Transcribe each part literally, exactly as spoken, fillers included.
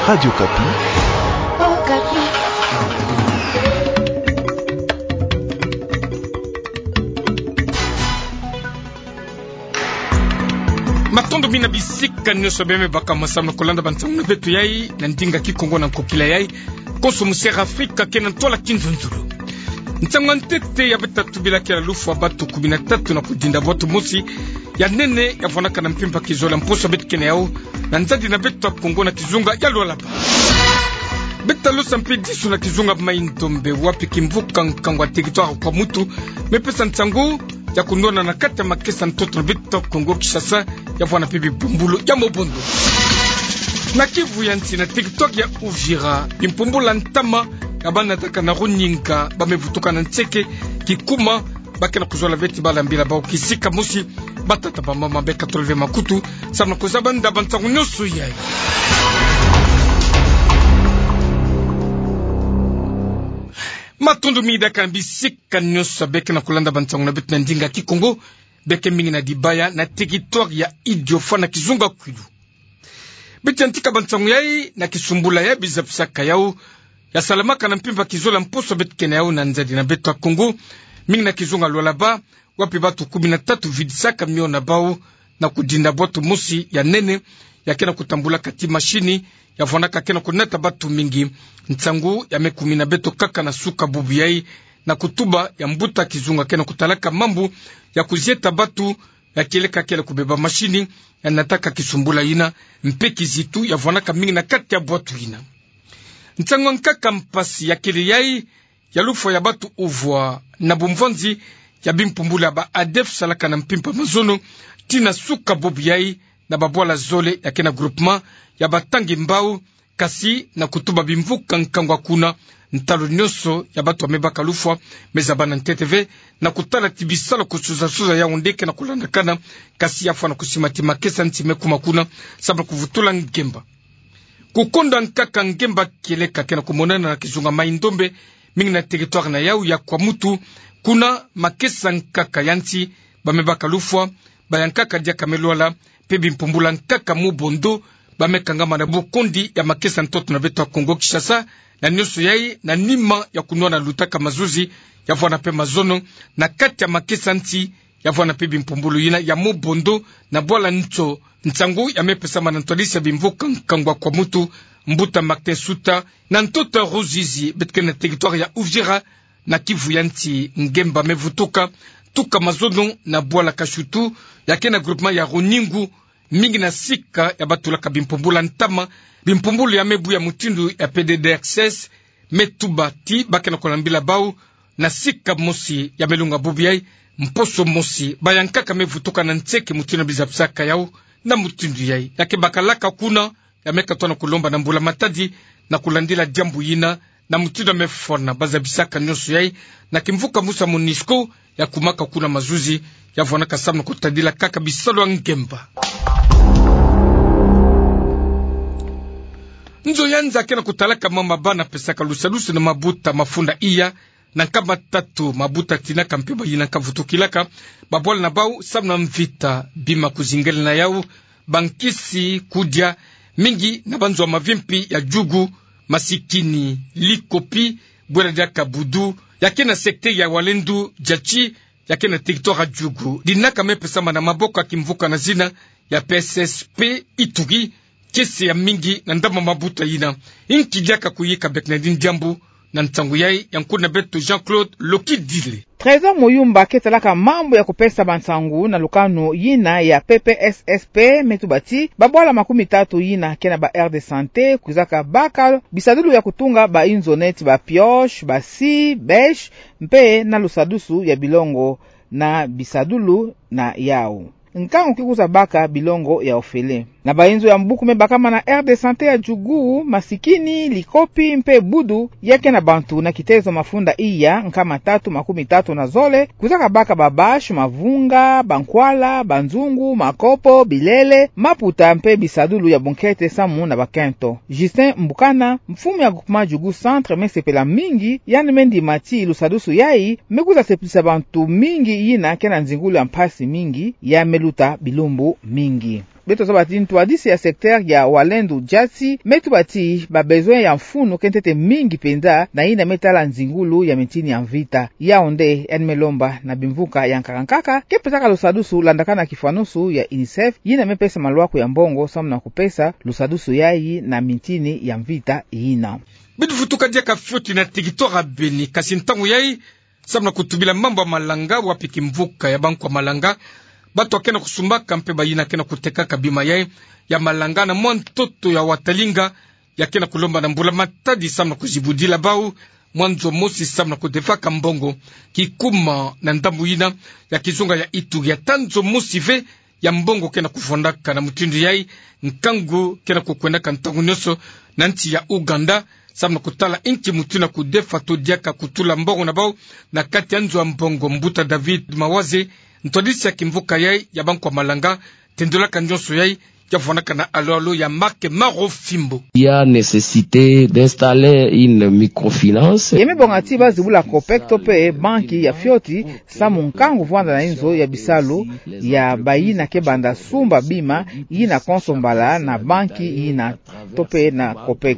Radio Okapi. Matondo mingi na bisika nyonso bima me baka masamu na kulanda bansangu na beto yai na ndinga Kikongo na nkokila yai. Konso mu Sera Afrika ke na ntwala kinzonzolo. Nsangu ya ntete ya beta tubila ke na lufwa batu kumi na tatu na kudinda bwatu mosi ya nene ya vwanaka na mpimpa kizole ya mposo beto ke na yau na nzadi na beto ya Kongo na kizunga ya Lualaba. Beta losa mpe disu na kizunga Mai-Ndombe, wapi kimvuka nkangu ya territoire Kwamutu me pesa nsangu ya kunwana na kati ya makesa ntoto na beto Kongo Kinshasa, ya vwana mpe bimpumbulu ya mobondo. Na Kivu ya nsi, na territoire ya Uvira, bimpumbulu ya ntama ya bana nataka na Runinga ba me vutuka na nseke kikuma, ba ke na kuzola beti bala mbila bau kisika mosi. Batata, bamama, beka tolove makutu samu na kuzaba nda bansangu nyonso yai. Matondo mingi diaka na bisika nyonso beke na kulanda bansangu na beto na ndinga Kikongo, beke mingi na Dibaya na territoire ya Idiofa na kizunga Kwilu. Beto yantika bansangu yai na kisumbula ya biza pisaka yau ya salamaka na mpimpa kizole ya mposo beto ke na yau na nzadi na beto ya Kongo, mingi na kizunga Lualaba, wapi batu kumi na tatu vidisaka mio na bau na kudinda bwatu mosi ya nene ya ke na kutambulaka ti mashini, ya vwanaka ke na kunata batu mingi. Nsangu ya me kumina beto kaka na suka bubu yai, na kutuba ya mbuta kizunga ke na kutalaka mambu ya kuzieta batu ya kieleka kele kubeba mashini ya nataka kisumbula yina, mpe kizitu ya vwanaka mingi na kati ya bwatu yina. Nsangu ya nkaka mpasi ya kele yai ya lufwa ya batu uvwa na bumvwanzi ya bimpumbulu ya ba ADF salaka na mpimpa mazono, ti na suka bubu yai, na babwala zole ya ke na groupement ya Batangi Mbau, kasi na kutuba bimvuka nkangu ya kuna, ntalu nyonso ya batu ya me baka lufwa me zaba na ntete ve, na kutala ti bisalu kusuza-suza yau nde ke na kulandakana, kasi ya fwa na kusima ti makesa nti me kuma kuna samu na kuvutula ngemba. Kukonda nkaka ngemba kieleka ke na kumonana na kizunga Mai-Ndombe, mingi na territoire na yau ya Kwamutu, kuna makesa nkaka ya nti ba me baka lufwa, bayankaka diaka me lwala, mpe bimpumbulu ya nkaka mobondo ba me kangama na bukondi ya makesa ntoto na beto ya Kongo Kinshasa, na nyonso yai na nima ya kunwana lutaka mazuzi ya vwana mpe mazono na kati ya makesa nti, ya vwana mpe bimpumbulu yina ya mobondo na bwala nto. Nsangu ya me pesama na ntwadisi ya bimvuka nkangu ya Kwamutu, mbuta Martin Suta, na ntoto ya Ruzizi, beto ke na territoire ya Uvira, na Kivu ya nti, ngemba me vutuka tuka mazono na bwala Kashutu, ya ke na groupement ya Runingu, mingi na sika ya batulaka bimpumbulu ya ntama, bimpumbulu ya me buya mutindu ya P D D R C S, me tuba ti ba ke na kolambila bau na sika mosi ya me lunga bubu yai, mposo mosi bayankaka me vutuka na nseke mutindu ya biza pisaka yau. Na mutindu yai, ya ke bakalaka kuna, ya me katuka na kulomba na mbula matadi na kulandila diambu yina, na mutindu ya me fwana bazabisaka nyonso yai, na kimvuka musa MONUSCO ya kumaka kuna mazuzi, ya vwanaka samu na kutadila kaka bisalu ya ngemba. Nzo ya nza ke na kutalaka mama bana pesaka lusadusu na mabuta mafunda iya, na nkama tatu mabuta tinaka mpe bayinaka vutukilaka babwala na bau samu na mvita, bima kuzingela na yau bankisi kudia, mingi na banzo ya mavimpi ya Djugu, Masikini, Likopi, bwela diaka Boudou, ya ke na secteur ya Walendu, Diatchi, ya ke na territoire ya Djugu, dinaka me pesama na maboko ya kimvuka na zina ya P S S P Ituri, kiese ya mingi na ndama mabuta yina. Inki diaka kuyika bek na dini diambu? Na nsangu yai, yankulu na beto Jean-Claude Lokidile. Trésor Muyumba ke talaka mambu ya kupesa bansangu na lukanu yina ya P P S S P me tuba ti babwala makumi tatu yina ke na ba aire de santé kwizaka baka bisadulu ya kutunga bayinzo neti ba pioche, ba scie, bêche, mpe na lusadusu ya bilongo na bisadulu na yau. Nkangu ki kwiza baka bilongo ya ofele. Na bayinzo ya mbuku me bakama na aire de santé ya Djugu, Masikini, Likopi mpe Boudou, ya ke na bantu na kitezo mafunda iya nkama tatu makumi tatu na zole kwizaka baka ba bâche, mavunga, bankwala, banzungu, makopo, bilele, maputa mpe bisadulu ya bunkete samu na bakento. Justin Mbukana, mfumu ya groupement Djugu Centre, me sepela mingi, yandi me ndima ti lusadusu yai me kwiza sepelisa bantu mingi yina ke na nzingulu ya mpasi mingi, ya me luta bilumbu mingi. Beto zaba ti ntwadisi ya secteur ya Walendu Diati me tuba ti ba besoin ya mfunu ke ntete mingi penza na yina me tala nzingulu ya mintini ya mvita. Yau nde yandi me lomba na bimvuka ya nkaka nkaka ke pesaka lusadusu landaka na kifwanusu ya UNICEF, yina me pesa maluaku ya mbongo samu na kupesa lusadusu yayi na mintini ya mvita yina. Beto vutuka diaka fioti na territoire ya Beni, kasi ntangu yayi samu na kutubila mambu ya malanga, wapi kimvuka ya bankwa malanga, bato ya ke na kusumbaka mpe bayina ke na kutekaka bima yayi ya malanga na mwa ntoto ya Watalinga, ya ke na kulomba na mbula matadi samu na kuzibudila bau mwa nzo mosi samu na kudefaka mbongo. Kikuma na ndambu yina ya kizunga ya Ituri, ata nzo mosi ve ya mbongo ke na kuvwandaka. Na mutindu yayi, nkangu ke na kukwendaka ntangu nyonso na nsi ya Ouganda samu na kutala inki mutindu ya kudefa to diaka kutula mbongo na bau na kati ya nzo ya mbongo. Mbuta David Mawaze, ntwadisi ya kimvuka yayi ya bankwa malanga, tendolaka nyonso yayi, ya vwandaka na alo alo ya Marc Marofimbo. Il y a nécessité d'installer une microfinance. Ye me bonga ti ba zibula COPEC to mpe banki ya fioti, samu nkangu vwanda na inzo ya bisalu ya bayina ke banda sumba bima yina konso mbala na banki yina to mpe na COPEC.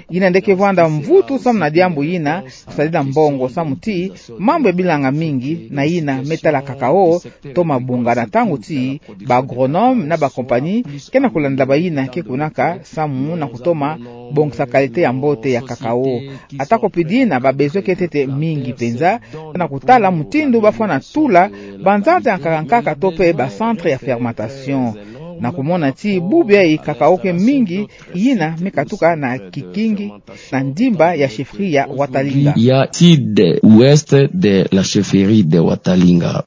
Yina nde ke vwanda mvutu samu na diambu yina, kusadila mbongo samu ti mambu ya bilanga mingi na yina me tala cacao, toma bunga na ntangu ti ba agronome na ba compagnie ke na kulandila bayina ke kunaka samu na kutoma bongisa qualité ya mbote ya cacao. Ata ko pidi na ba besoin ke ntete mingi penza, na kutala mutindu ba fwana tula banzanza ya nkaka nkaka to mpe ba centre ya fermentation. Na kumona ti bubu yayi cacao ke mingi yina me katuka na kikingi na ndimba ya chefferie ya Watalinga. Il y a sud-ouest de la chefferie de Watalinga.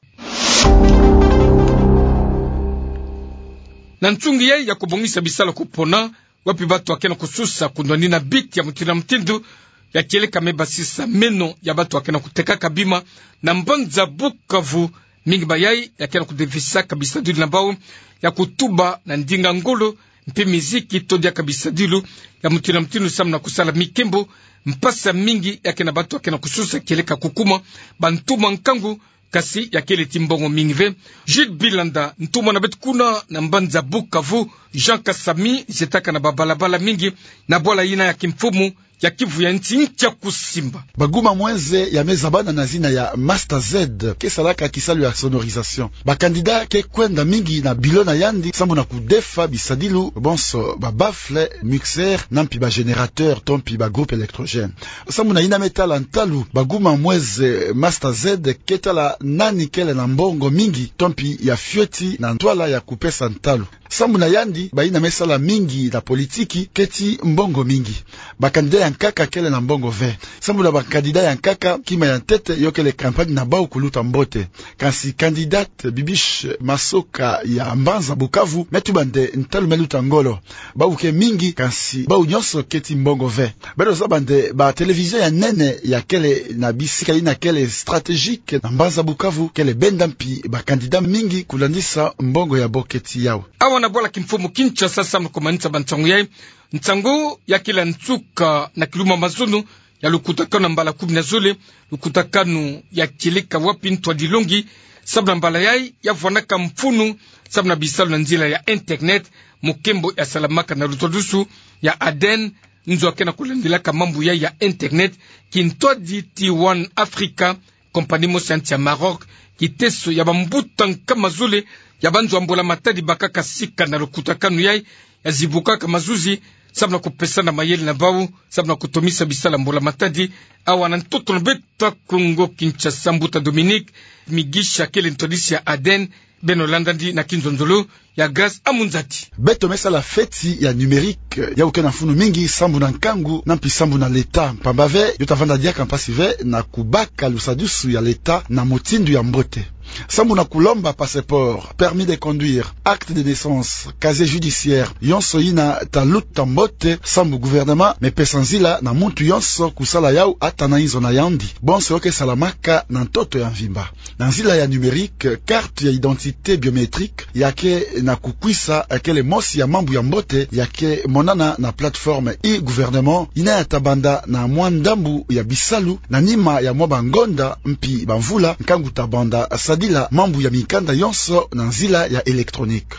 Na nsungi yayi ya kubongisa bisalu ya kupona, wapi bato ya ke na kususa kundwani na biti ya mutindu na mutindu ya kieleka me basisa meno ya bato ya ke na kutekaka bima na mbanza Bukavu, mingi bayayi ya ke na kudefisaka bisadilu na bau ya kutuba na ndinga ngolo mpe miziki to diaka bisadilu ya mutindu na mutindu samu na kusala mikembo. Mpasi mingi ya ke na bato ya ke na kususa kieleka kukuma bantumwa nkangu, kasi ya kele ti mbongo mingi ve. Jules Bilanda, ntumwa na beto kuna na mbanza Bukavu, Jean Kasami, zietaka na babalabala mingi na bwala yina ya kimfumu ya Kivu ya nsi nkia kusimba. Baguma mwenze ya me zabana na zina ya Master Z ke salaka kisalu ya sonorisation. Ba candidat ke kwenda mingi na bilo na yandi samu na kudefa bisadilu bonso ba baffle, mixeur na mpi ba générateur to mpi ba groupe électrogène. Samu na yina me tala ntalu, baguma mwenze Master Z ke tala nani kele na mbongo mingi to mpi ya fioti na ntwala ya kupesa ntalu. Samu na yandi, bayina me sala mingi na politiki ke ti mbongo mingi. Ba candidat ya nkaka kele na mbongo ve. Samu na ba candidat ya nkaka, kima ya ntete yo kele campagne na bau kuluta mbote. Kansi candidate Bibiche Masoka ya mbanza Bukavu me tuba nde ntalu me luta ngolo. Bau ke mingi, kansi bau nyonso ke ti mbongo ve. Beto zaba nde ba télévision ya nene ya kele na bisika yina kele stratégique na mbanza Bukavu kele benda mpi ba candidat mingi kulandisa mbongo ya bo ke ti yau. Awa na bwala kimfumu Kinshasa, samu na kumanisa ba nsangu yayi, nsangu ya kila nsuka na kilumbu ya mazono ya lukutakanu ya mbala kumi na zole, lukutakanu ya kieleka wapi ntwadilongi samu na mbala yayi ya vwanaka mfunu samu na bisalu na nzila ya internet, mukembo ya salamaka na lutwadusu ya Aden, nzo ya ke na kulandilaka mambu yayi ya internet, kintwadi ti One Africa, compagnie mosi ya nsi ya Maroc, kiteso ya bambuta nkama zole ya banzo ya mbula matadi bakaka sika na lukutakanu yayi, ya zibukaka mazuzi samu na kupesana mayele na bau samu na kutomisa bisalu ya mbula matadi. Awa na ntoto na beto Kongo Kinshasa, mbuta Dominique Migisha kele ntwadisi ya Aden, beno landandi na kinzonzolo ya Grace Amunzati. Beto me sala feti ya numérique, yau ke na mfunu mingi sambu na nkangu na mpi sambu na leta, mpamba ve yo ta vanda diaka mpasi ve na kubaka lusadusu ya leta na mutindu ya mbote. Sambu na kulomba passeport, permis de conduire, acte de naissance, casier judiciaire, yonso yina ta luta mbote sambu gouvernement me pesa nzila na muntu yonso kusala yau ata na inzo na yandi. Bonso yo ke salamaka na ntoto ya mvimba. Na nzila ya numérique, carte ya identité biométrique ya ke na kukwisa kele mosi ya mambu ya mbote ya ke monana na plateforme e-gouvernement, yina ya ta banda na mwa ndambu ya bisalu na nima ya mwa bangonda mpi bamvula, nkangu ta banda sa bila mambu ya mikanda yonso na nzila ya électronique.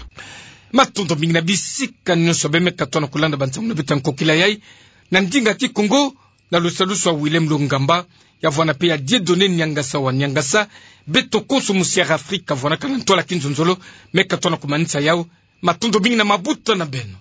Matondo mingi na bisika nyonso bê me katona kolanda bansangu na beto ya nkokila yayi, na ndinga ti Kongo, na lusalusu ya Willem Lungamba, ya vwanda pe ya Dieudonné Niangasa wa Niangasa. Beto konso mu Sierra Afrika vwanakana ntwala kinzonzolo, me katona komanisa yawu. Matondo mingi na mabuta na beno.